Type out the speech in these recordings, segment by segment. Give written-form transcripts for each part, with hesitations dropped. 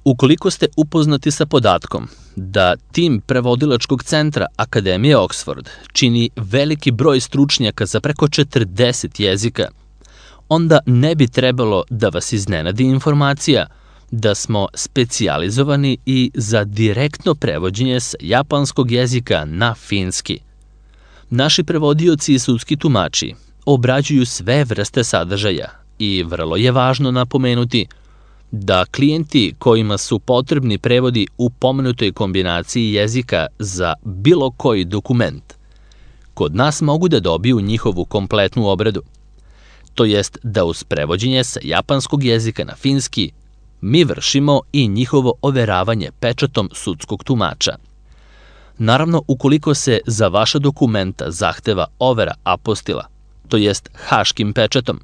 Ukoliko ste upoznati sa podatkom da tim prevodilačkog centra Akademije Oxford čini veliki broj stručnjaka za preko 40 jezika, onda ne bi trebalo da vas iznenadi informacija da smo specijalizovani i za direktno prevođenje sa japanskog jezika na finski. Naši prevodioci i sudski tumači obrađuju sve vrste sadržaja i vrlo je važno napomenuti da klijenti kojima su potrebni prevodi u pomenutoj kombinaciji jezika za bilo koji dokument, kod nas mogu da dobiju njihovu kompletnu obradu. To jest da uz prevođenje sa japanskog jezika na finski mi vršimo i njihovo overavanje pečatom sudskog tumača. Naravno, ukoliko se za vaša dokumenta zahteva overa apostila, to jest haškim pečatom,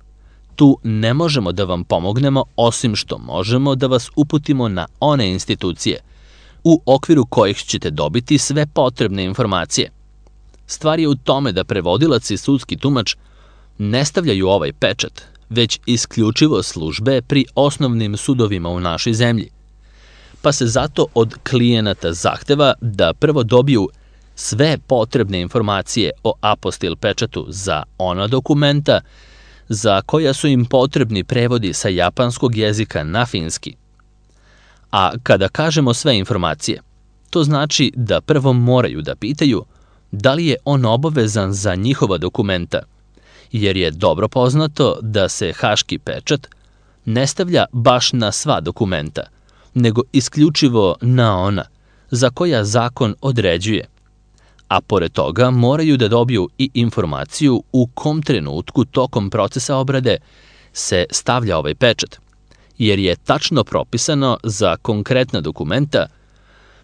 tu ne možemo da vam pomognemo osim što možemo da vas uputimo na one institucije u okviru kojih ćete dobiti sve potrebne informacije. Stvar je u tome da prevodilac i sudski tumač ne stavljaju ovaj pečat, već isključivo službe pri osnovnim sudovima u našoj zemlji. Pa se zato od klijenata zahteva da prvo dobiju sve potrebne informacije o apostil pečatu za ona dokumenta za koja su im potrebni prevodi sa japanskog jezika na finski. A kada kažemo sve informacije, to znači da prvo moraju da pitaju da li je on obavezan za njihova dokumenta, jer je dobro poznato da se haški pečat ne stavlja baš na sva dokumenta, nego isključivo na ona za koja zakon određuje. A pored toga moraju da dobiju i informaciju u kom trenutku tokom procesa obrade se stavlja ovaj pečat, jer je tačno propisano za konkretna dokumenta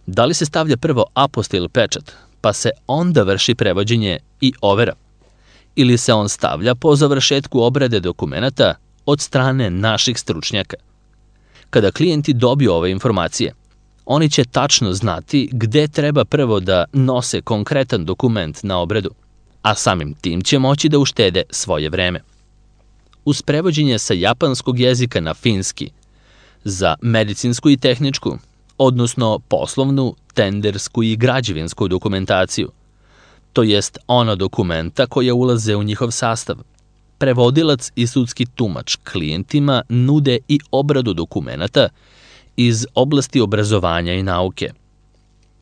da li se stavlja prvo apostil pečat, pa se onda vrši prevođenje i overa, ili se on stavlja po završetku obrade dokumenata od strane naših stručnjaka. Kada klijenti dobiju ove informacije, oni će tačno znati gde treba prvo da nose konkretan dokument na obradu, a samim tim će moći da uštede svoje vreme. Uz prevođenje sa japanskog jezika na finski, za medicinsku i tehničku, odnosno poslovnu, tendersku i građevinsku dokumentaciju, to jest ona dokumenta koja ulaze u njihov sastav, prevodilac i sudski tumač klijentima nude i obradu dokumenata iz oblasti obrazovanja i nauke.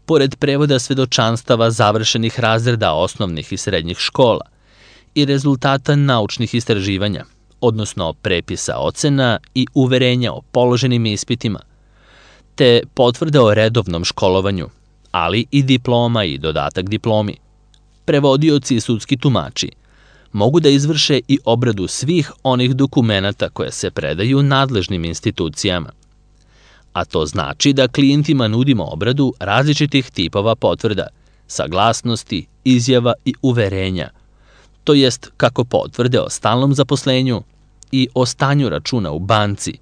Pored prevoda svedočanstava završenih razreda osnovnih i srednjih škola i rezultata naučnih istraživanja, odnosno prepisa ocena i uverenja o položenim ispitima, te potvrde o redovnom školovanju, ali i diploma i dodatak diplomi, prevodioci i sudski tumači mogu da izvrše i obradu svih onih dokumenata koje se predaju nadležnim institucijama. A to znači da klijentima nudimo obradu različitih tipova potvrda, saglasnosti, izjava i uverenja, to jest kako potvrde o stalnom zaposlenju i o stanju računa u banci,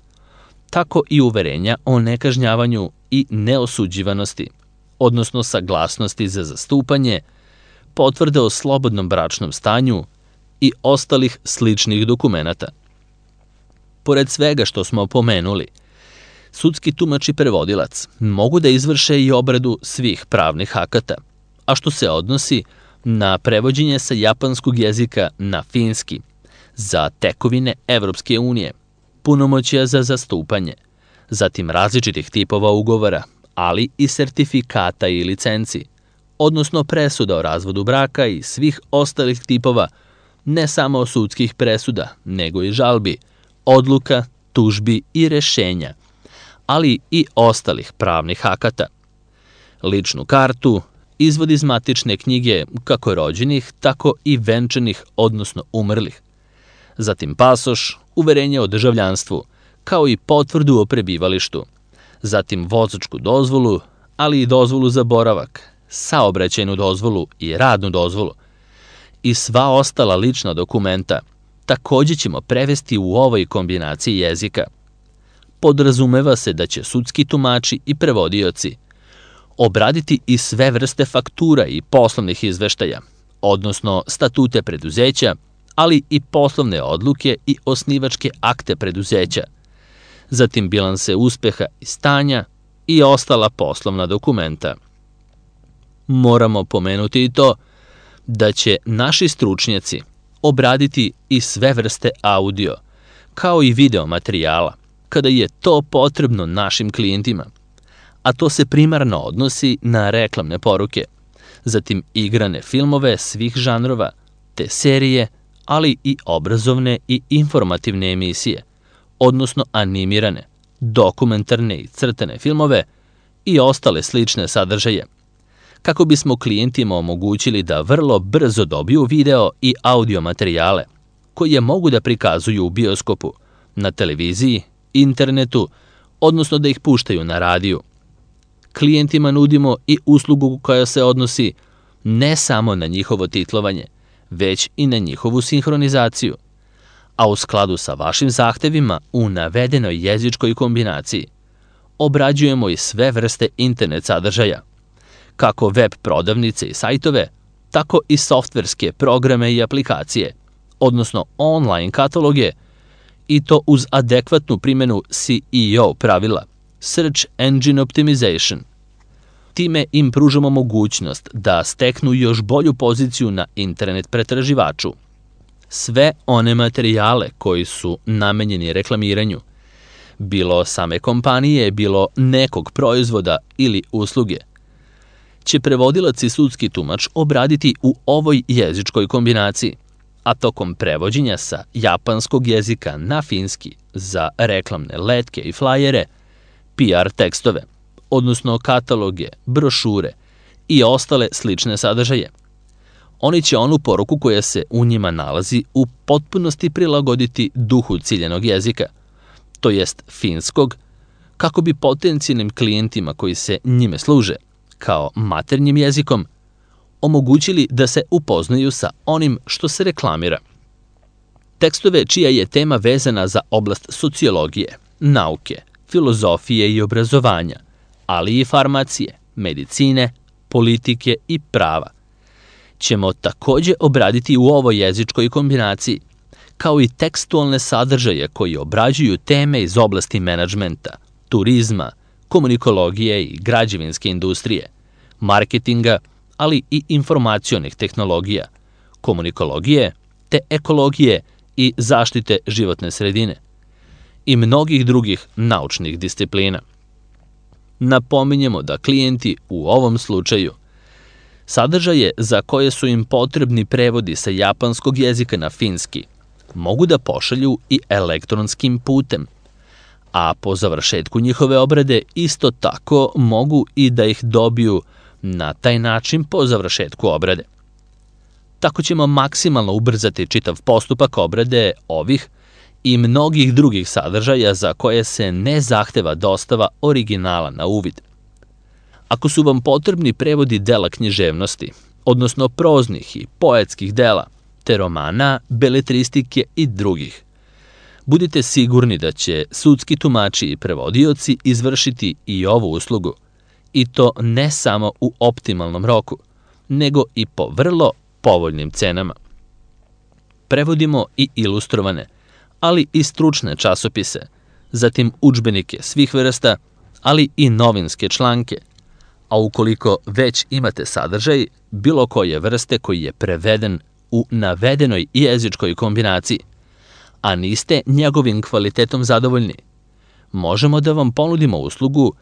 tako i uverenja o nekažnjavanju i neosuđivanosti, odnosno saglasnosti za zastupanje, potvrde o slobodnom bračnom stanju i ostalih sličnih dokumenata. Pored svega što smo pomenuli, sudski tumač i prevodilac mogu da izvrše i obradu svih pravnih akata, a što se odnosi na prevođenje sa japanskog jezika na finski, za tekovine Evropske unije, punomoćja za zastupanje, zatim različitih tipova ugovora, ali i sertifikata i licenci, odnosno presuda o razvodu braka i svih ostalih tipova, ne samo sudskih presuda, nego i žalbi, odluka, tužbi i rešenja, ali i ostalih pravnih akata. Ličnu kartu, izvod iz matične knjige kako rođenih, tako i venčanih, odnosno umrlih. Zatim pasoš, uverenje o državljanstvu, kao i potvrdu o prebivalištu. Zatim vozačku dozvolu, ali i dozvolu za boravak, saobraćajnu dozvolu i radnu dozvolu. I sva ostala lična dokumenta takođe ćemo prevesti u ovoj kombinaciji jezika. Podrazumeva se da će sudski tumači i prevodioci obraditi i sve vrste faktura i poslovnih izveštaja, odnosno statute preduzeća, ali i poslovne odluke i osnivačke akte preduzeća, zatim bilanse uspeha i stanja, i ostala poslovna dokumenta. Moramo pomenuti i to da će naši stručnjaci obraditi i sve vrste audio, kao i video materijala, kada je to potrebno našim klijentima, a to se primarno odnosi na reklamne poruke, zatim igrane filmove svih žanrova, te serije, ali i obrazovne i informativne emisije, odnosno animirane, dokumentarne i crtane filmove i ostale slične sadržaje, kako bismo klijentima omogućili da vrlo brzo dobiju video i audio materijale, koje mogu da prikazuju u bioskopu, na televiziji, internetu, odnosno da ih puštaju na radiju. Klijentima nudimo i uslugu koja se odnosi ne samo na njihovo titlovanje, već i na njihovu sinhronizaciju, a u skladu sa vašim zahtevima u navedenoj jezičkoj kombinaciji obrađujemo i sve vrste internet sadržaja, kako web prodavnice i sajtove, tako i softverske programe i aplikacije, odnosno online kataloge, i to uz adekvatnu primjenu SEO pravila, Search Engine Optimization. Time im pružamo mogućnost da steknu još bolju poziciju na internet pretraživaču. Sve one materijale koji su namenjeni reklamiranju, bilo same kompanije, bilo nekog proizvoda ili usluge, će prevodilac i sudski tumač obraditi u ovoj jezičkoj kombinaciji, a tokom prevođenja sa japanskog jezika na finski za reklamne letke i flajere, PR tekstove, odnosno kataloge, brošure i ostale slične sadržaje. Oni će onu poruku koja se u njima nalazi u potpunosti prilagoditi duhu ciljenog jezika, to jest finskog, kako bi potencijalnim klijentima koji se njime služe, kao maternjim jezikom, omogućili da se upoznaju sa onim što se reklamira. Tekstove čija je tema vezana za oblast sociologije, nauke, filozofije i obrazovanja, ali i farmacije, medicine, politike i prava, ćemo takođe obraditi u ovoj jezičkoj kombinaciji, kao i tekstualne sadržaje koji obrađuju teme iz oblasti menadžmenta, turizma, komunikologije i građevinske industrije, marketinga, ali i informacionih tehnologija, komunikologije, te ekologije i zaštite životne sredine i mnogih drugih naučnih disciplina. Napominjemo da klijenti u ovom slučaju sadržaje za koje su im potrebni prevodi sa japanskog jezika na finski mogu da pošalju i elektronskim putem, a po završetku njihove obrade isto tako mogu i da ih dobiju na taj način po završetku obrade. Tako ćemo maksimalno ubrzati čitav postupak obrade ovih i mnogih drugih sadržaja za koje se ne zahteva dostava originala na uvid. Ako su vam potrebni prevodi dela književnosti, odnosno proznih i poetskih dela, te romana, beletristike i drugih, budite sigurni da će sudski tumači i prevodioci izvršiti i ovu uslugu, i to ne samo u optimalnom roku, nego i po vrlo povoljnim cenama. Prevodimo i ilustrovane, ali i stručne časopise, zatim udžbenike svih vrsta, ali i novinske članke, a ukoliko već imate sadržaj bilo koje vrste koji je preveden u navedenoj jezičkoj kombinaciji, a niste njegovim kvalitetom zadovoljni, možemo da vam ponudimo uslugu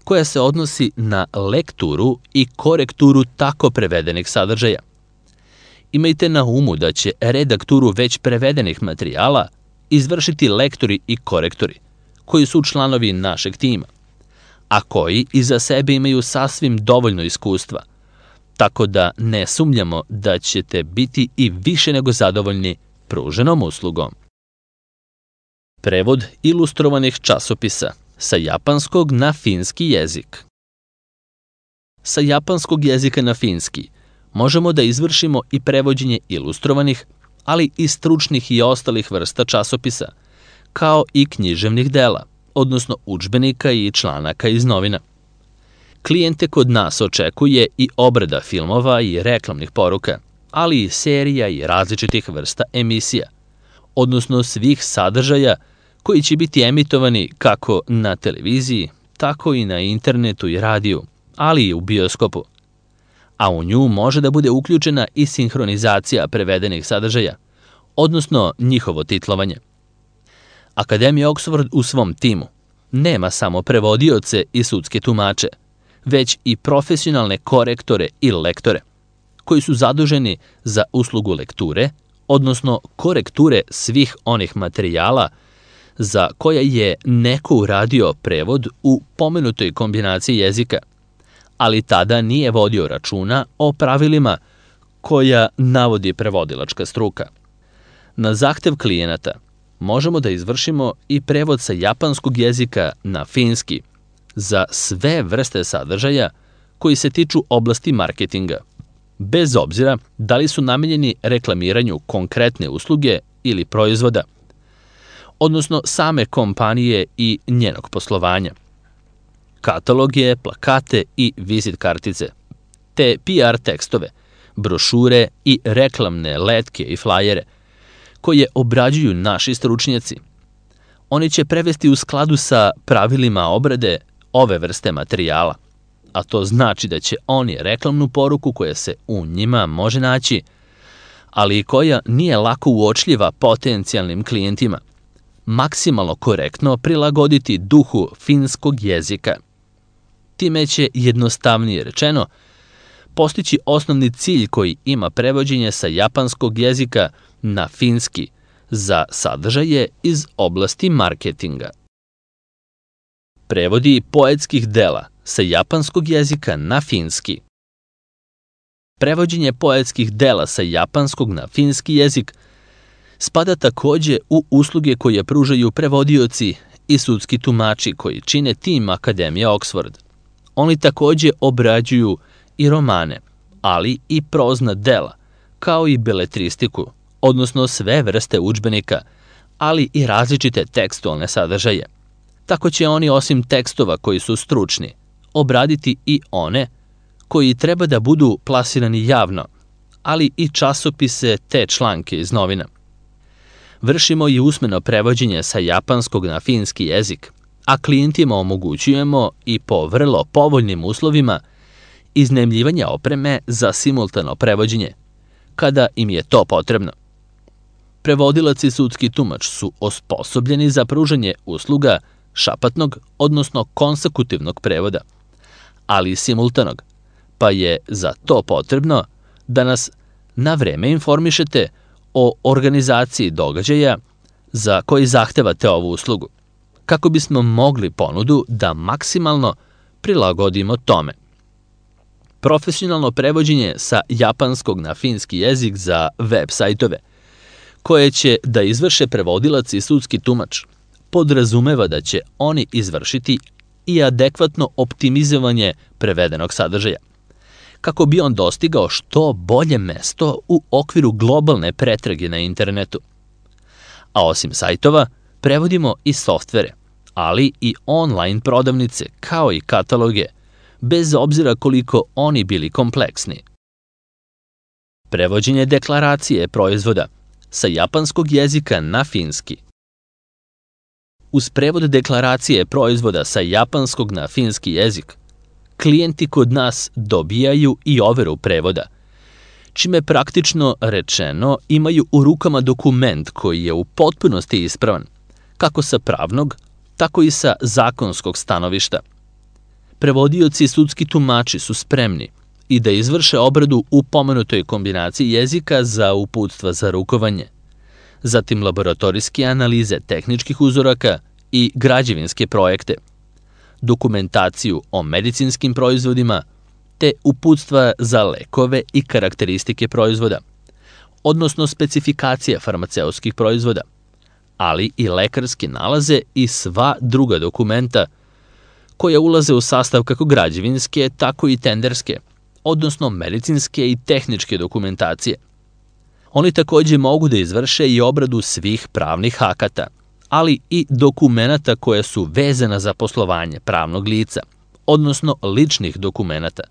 koja se odnosi na lekturu i korekturu tako prevedenih sadržaja. Imajte na umu da će redakturu već prevedenih materijala izvršiti lektori i korektori, koji su članovi našeg tima, a koji iza sebe imaju sasvim dovoljno iskustva, tako da ne sumnjamo da ćete biti i više nego zadovoljni pruženom uslugom. Prevod ilustrovanih časopisa sa japanskog na finski jezik. Sa japanskog jezika na finski možemo da izvršimo i prevođenje ilustrovanih, ali i stručnih i ostalih vrsta časopisa, kao i književnih dela, odnosno udžbenika i članaka iz novina. Klijente kod nas očekuje i obrada filmova i reklamnih poruka, ali i serija i različitih vrsta emisija, odnosno svih sadržaja koji će biti emitovani kako na televiziji, tako i na internetu i radiju, ali i u bioskopu. A u nju može da bude uključena i sinhronizacija prevedenih sadržaja, odnosno njihovo titlovanje. Akademija Oxford u svom timu nema samo prevodioce i sudske tumače, već i profesionalne korektore i lektore, koji su zaduženi za uslugu lekture, odnosno korekture svih onih materijala za koje je neko uradio prevod u pomenutoj kombinaciji jezika, ali tada nije vodio računa o pravilima koja navodi prevodilačka struka. Na zahtev klijenata možemo da izvršimo i prevod sa japanskog jezika na finski za sve vrste sadržaja koji se tiču oblasti marketinga, bez obzira da li su namenjeni reklamiranju konkretne usluge ili proizvoda, odnosno same kompanije i njenog poslovanja, kataloge, plakate i vizit kartice, te PR tekstove, brošure i reklamne letke i flajere, koje obrađuju naši stručnjaci. Oni će prevesti u skladu sa pravilima obrade ove vrste materijala, a to znači da će oni reklamnu poruku koja se u njima može naći, ali i koja nije lako uočljiva potencijalnim klijentima, maksimalno korektno prilagoditi duhu finskog jezika. Time će, jednostavnije rečeno, postići osnovni cilj koji ima prevođenje sa japanskog jezika na finski za sadržaje iz oblasti marketinga. Prevodi poetskih dela sa japanskog jezika na finski. Prevođenje poetskih dela sa japanskog na finski jezik spada takođe u usluge koje pružaju prevodioci i sudski tumači koji čine tim Akademije Oxford. Oni takođe obrađuju i romane, ali i prozna dela, kao i beletristiku, odnosno sve vrste udžbenika, ali i različite tekstualne sadržaje. Tako će oni, osim tekstova koji su stručni, obraditi i one koji treba da budu plasirani javno, ali i časopise te članke iz novina. Vršimo i usmeno prevođenje sa japanskog na finski jezik, a klijentima omogućujemo i po vrlo povoljnim uslovima iznajmljivanje opreme za simultano prevođenje, kada im je to potrebno. Prevodilac i sudski tumač su osposobljeni za pružanje usluga šapatnog, odnosno konsekutivnog prevoda, ali i simultanog, pa je za to potrebno da nas na vreme informišete o organizaciji događaja za koji zahtevate ovu uslugu, kako bismo mogli ponudu da maksimalno prilagodimo tome. Profesionalno prevođenje sa japanskog na finski jezik za web sajtove, koje će da izvrše prevodilac i sudski tumač, podrazumeva da će oni izvršiti i adekvatno optimizovanje prevedenog sadržaja, kako bi on dostigao što bolje mesto u okviru globalne pretrage na internetu. A osim sajtova, prevodimo i softvere, ali i online prodavnice, kao i kataloge, bez obzira koliko oni bili kompleksni. Prevođenje deklaracije proizvoda sa japanskog jezika na finski. Uz prevod deklaracije proizvoda sa japanskog na finski jezik, klijenti kod nas dobijaju i overu prevoda, čime praktično rečeno imaju u rukama dokument koji je u potpunosti ispravan, kako sa pravnog, tako i sa zakonskog stanovišta. Prevodioci i sudski tumači su spremni i da izvrše obradu u pomenutoj kombinaciji jezika za uputstva za rukovanje, zatim laboratorijske analize tehničkih uzoraka i građevinske projekte, dokumentaciju o medicinskim proizvodima, te uputstva za lekove i karakteristike proizvoda, odnosno specifikacije farmaceutskih proizvoda, ali i lekarske nalaze i sva druga dokumenta koja ulaze u sastav kako građevinske, tako i tenderske, odnosno medicinske i tehničke dokumentacije. Oni takođe mogu da izvrše i obradu svih pravnih akata, ali i dokumenata koje su vezana za poslovanje pravnog lica, odnosno ličnih dokumenata.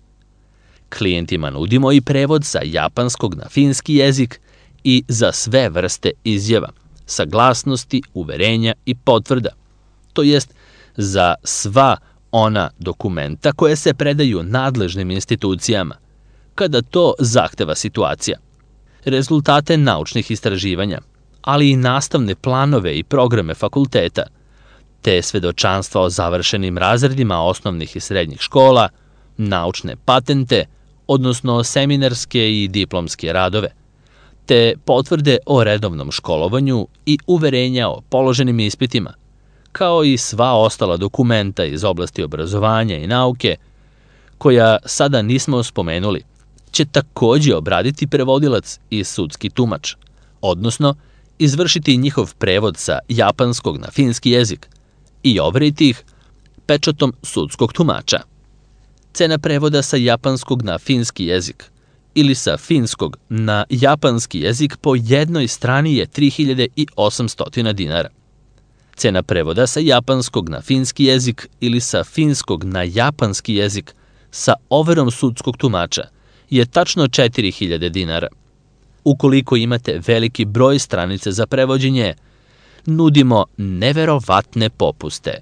Klijentima nudimo i prevod sa japanskog na finski jezik i za sve vrste izjava, saglasnosti, uverenja i potvrda, to jest za sva ona dokumenta koje se predaju nadležnim institucijama, kada to zahteva situacija, rezultate naučnih istraživanja, ali i nastavne planove i programe fakulteta, te svedočanstva o završenim razredima osnovnih i srednjih škola, naučne patente, odnosno seminarske i diplomske radove, te potvrde o redovnom školovanju i uverenja o položenim ispitima, kao i sva ostala dokumenta iz oblasti obrazovanja i nauke, koja sada nismo spomenuli, će takođe obraditi prevodilac i sudski tumač, odnosno izvršiti njihov prevod sa japanskog na finski jezik i overiti ih pečatom sudskog tumača. Cena prevoda sa japanskog na finski jezik ili sa finskog na japanski jezik po jednoj strani je 3800 dinara. Cena prevoda sa japanskog na finski jezik ili sa finskog na japanski jezik sa overom sudskog tumača je tačno 4000 dinara. Ukoliko imate veliki broj stranica za prevođenje, nudimo neverovatne popuste.